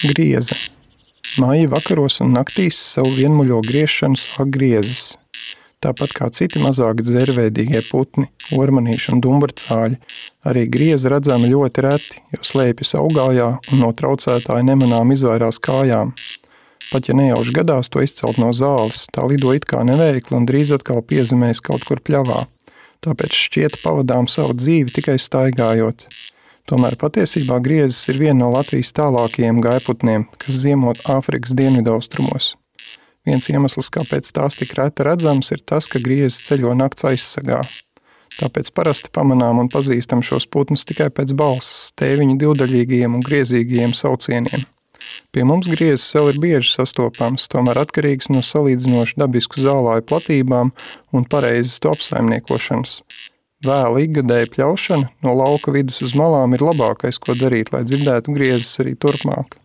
Grieze. Maija vakaros un naktīs savu vienmuļo griešanu sāk griezes. Tāpat kā citi mazāki dzērveidīgie putni, ormanīši un dumburcāļi, arī grieze redzama ļoti reti, jo slēpjas augājā un no traucētāja nemanām izvairās kājām. Pat ja nejauši gadās to izcelt no zāles, tā lido it kā neveikli un drīz atkal piezemēs kaut kur pļavā. Tāpēc šķiet pavadām savu dzīvi tikai staigājot. Tomēr patiesībā griezes ir viena no Latvijas tālākajiem gājputniem, kas ziemot Āfrikas dienvidaustrumos. Viens iemesls, kāpēc tās tik reti redzams, ir tas, ka griezes ceļo nakts aizsegā. Tāpēc parasti pamanām un pazīstam šos putnus tikai pēc balss, tēviņu divdaļīgajiem un griezīgajiem saucieniem. Pie mums griezes vēl ir bieži sastopams, tomēr atkarīgs no salīdzinoši dabisku zālāju platībām un pareizes to apsaimniekošanas. Vēla ikgadēja pļaušana no lauka vidus uz malām ir labākais, ko darīt, lai dzirdētu griezes arī turpmāk.